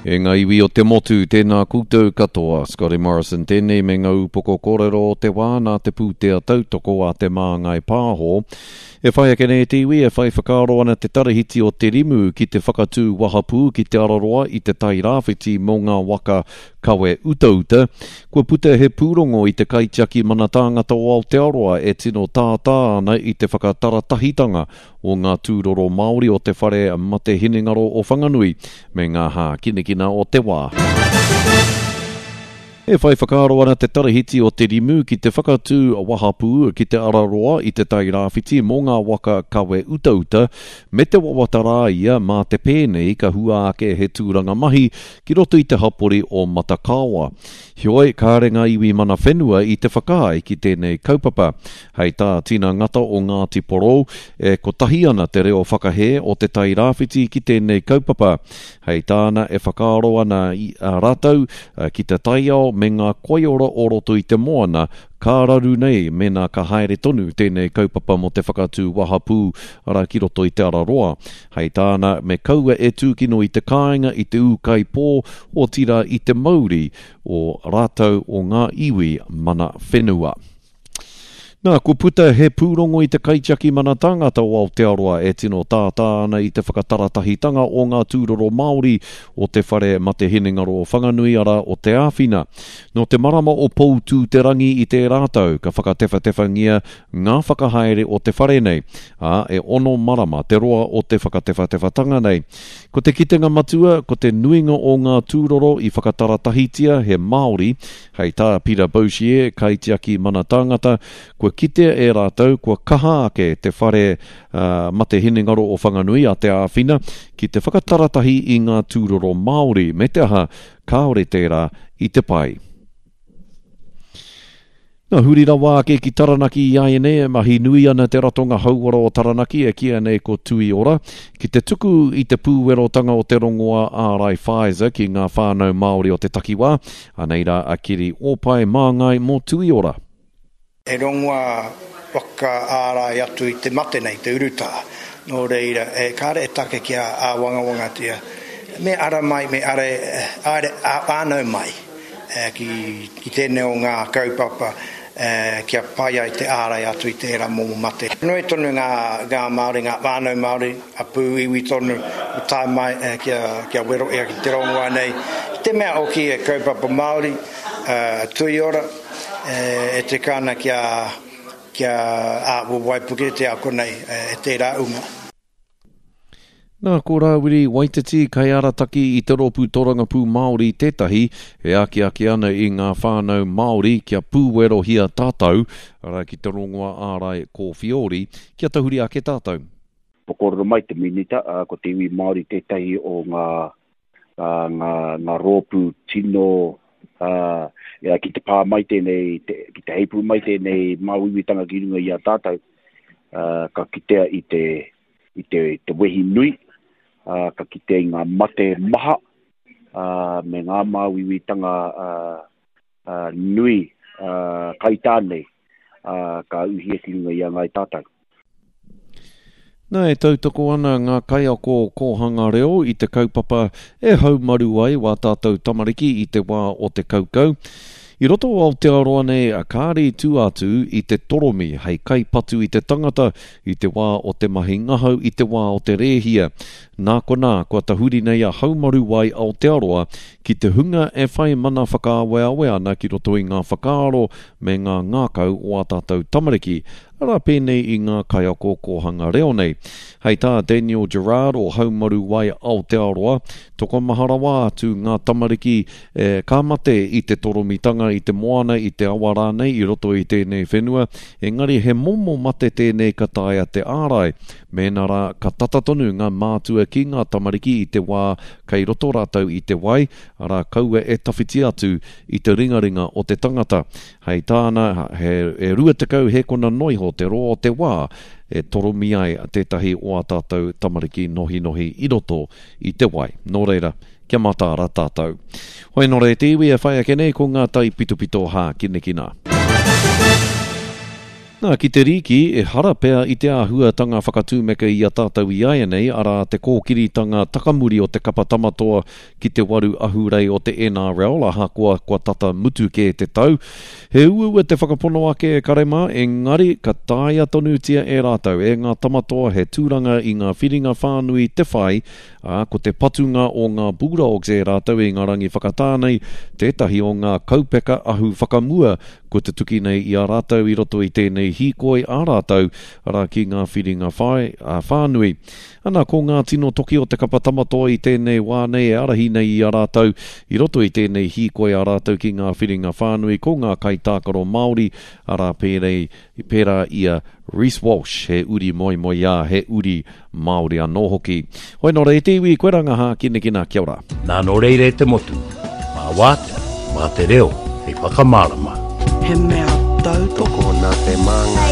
E ngā iwi o te motu, tēnā koutou katoa. Scotty Morrison tēnei me ngā upoko kōrero o te wā nā te pūtea tautoko a Te Māngai Pāho. E whai ake nei te iwi e whai whakaaro ana te tarahiti o Te Rimu ki te whakatū wahapū ki Te Araroa i Te Tai Rāwhiti mō ngā waka kawe utauta. Kua puta he pūrongo i te Kaitiaki Mana Tāngata o Aotearoa e tino tātā ana i te whakataratahitanga o ngā tūroro Māori o te whare mate hinengaro o Whanganui me ngā hākinakina o te wā. E whai whakaaro ana te Tarahiti o Te Rimu ki te whakatū wahapū ki Te Araroa i Te Tai Rāwhiti mō ngā waka kawe utauta, me te wawata rā ia mā te pēnei ka hua ake he tūranga mahi ki roto i te hapori o Matakaoa. Heoi, kāre ngā iwi mana whenua i te whakaae ki tēnei kaupapa. Hei tā Tina Ngata o Ngāti Porou, e kotahi ana te reo whakahē o Te Tai Rāwhiti ki tēnei kaupapa. Hei tāna e whakaaro ana a rātou ki te taiao me ngā koiora o roto i te moana, ka raru nei mēnā ka haere tonu tēnei kaupapa mō te whakatū wahapū ara ki roto i Te Araroa. Hei tāna me kaua e tūkino i te kāinga, i te ūkaipō, otirā i te mauri o rātou o ngā iwi mana whenua. Nā, kua puta he pūrongo i te Kaitiaki Mana Tāngata o Aotearoa e tino tātā ana i te whakataratahitanga o ngā tūroro Māori o te whare mate hinengaro o Whanganui, arā, o Te Āwhina. Nō te marama o Poutū-te-rangi i tērā tau ka whakatewhatewhangia ngā whakahaere o te whare nei, ā, e ono marama te roa o te whakatewhatewhatanga nei. Ko te kitenga matua, ko te nuinga o ngā tūroro i whakataratahitia he Māori, Hei tā Peter Bouchier, kaitiaki mana tāngata, kua kitea e rātou kua kaha ake te whare mate hinengaro o Whanganui a Te Āwhina ki te whakataratahi i ngā tūroro Māori, me te aha, kāore tērā i te pai. Na, huri rawa ake ki Taranaki i āianei e mahi nui ana te ratonga hauora o Taranaki e kīia nei ko Tui Ora, ki te tuku i te pūwerotanga o te rongoā ārai Pfizer ki ngā whānau Māori o te takiwā. Anei rā a Kiri Ōpae māngai mō Tui Ora. He rongoā whakaārai atu i te mate nei, te urutā. Nō reira, e kāre e take kia āwangawangatia, me ara mai, me ara, āre, ā-whānau mai ki, ki tēnei o ngā kaupapa kia pai ai te ārai atu i tērā momo mate. Nui tonu ngā, ngā Māori, ngā whānau Māori, hapū, iwi tonu i tae mai kia, kia wero ia ki te rongoā nei. I te mea hoki he kaupapa Māori, tui ora, e tika ana kia, kia ā, waipuketia konei e tērā uma. Nā, ko Rāwiri Waititi, kaiarataki i te Rōpū Torangapū Māori tētahi e akiaki ana i ngā whānau Māori kia pūwerohia tātou, arā ki te rongoā ārai kōwhiori, kia tahuri ake tātou. Kua kōrero mai te Minita, ko te iwi Māori tētahi o ngā, ngā, ngā rōpū tino ki te pā mai tēnei, ki te heipū mai tēnei māuiuitanga ki runga i a tātou, ka kitea i te, i te, te wehi nui, ā, ka kitea i ngā mate maha, ā, me ngā māuiuitanga ā, ā, nui, ā, kaitā nei, ā, ka uhia ki runga i a Ngāi Tātou. Nā, e tautoko ana ngā kaiako kōhanga reo i te kaupapa e haumaru ai wā tātou tamariki i te wā o te kaukau. I roto o Aotearoa nei, kāre i tua atu i te toromi hei kaipatu i te tangata i te wā o te mahi ngahau i te wā o te rēhia. Nā konā, kua tahuri nei a Haumaru Wai Aotearoa ki te hunga e whai mana whakaaweawe ana ki roto i ngā whakaaro me ngā ngākau o ā tātou tamariki, arā pēnei i ngā kaiako kōhanga reo nei. Hei tā Daniel Gerrard o Haumaru Wai Aotearoa, tokomaha rawa atu ngā tamariki e ka mate i te toromitanga i te moana, i te awa rānei i roto i tēnei whenua, engari he momo mate tēnei ka taea te ārai, mēnā rā ka tata tonu ngā mātua ki ngā tamariki i te wā kei roto rātou i te wai, arā kaua e tawhiti atu i te ringaringa o te tangata. Hei tāna, he e 20 hēkona noa iho te roa o te wā e toromi ai tētahi o ā tātou tamariki nohinohi i roto i te wai. Nō reira, kia mataara tātou. Hoi nō reira te iwi e whai ake nei ko ngā taipitopito hākinakina. Nā, ki te rīki, ehara pea i te āhuatanga whakatūmeka i a tātou iaianei, arā, te kōkiritanga takamuri o te kapa Tamatoa ki te waru ahurei o te NRL, ahakoa kua tata mutu kē te tau. He uaua te whakapono ake e kare mā, engari ka taea tonutia e rātou, e ngā Tamatoa he tūranga i ngā whiringa whānui te whai, ā, ko te patunga o ngā Bulldogs e rātou i ngā rangi whakatā nei tētahi o ngā kaupeka ahu whakamua kua tutuki nei i a rātou i roto i tēnei hīkoi a rātou, arā ki ngā whiringa whai, ā, whānui. Ana, ko ngā tino toki o te kapa Tamatoa i tēnei wā nei e ārahi nei i a rātou i roto i tēnei hīkoi a rātou ki ngā whiringa whānui, ko ngā kaitākaro Māori, arā pērei, pērā i a Reece Walsh, he uri moemoeā, he uri Māori anō hoki. Hoi nō reira e te iwi, koe rā ngā hākinakina, kia ora. Nā nō reira e te motu, mā wātea, mā te reo hei whakamārama. He mea tautoko. Tokona te māngai.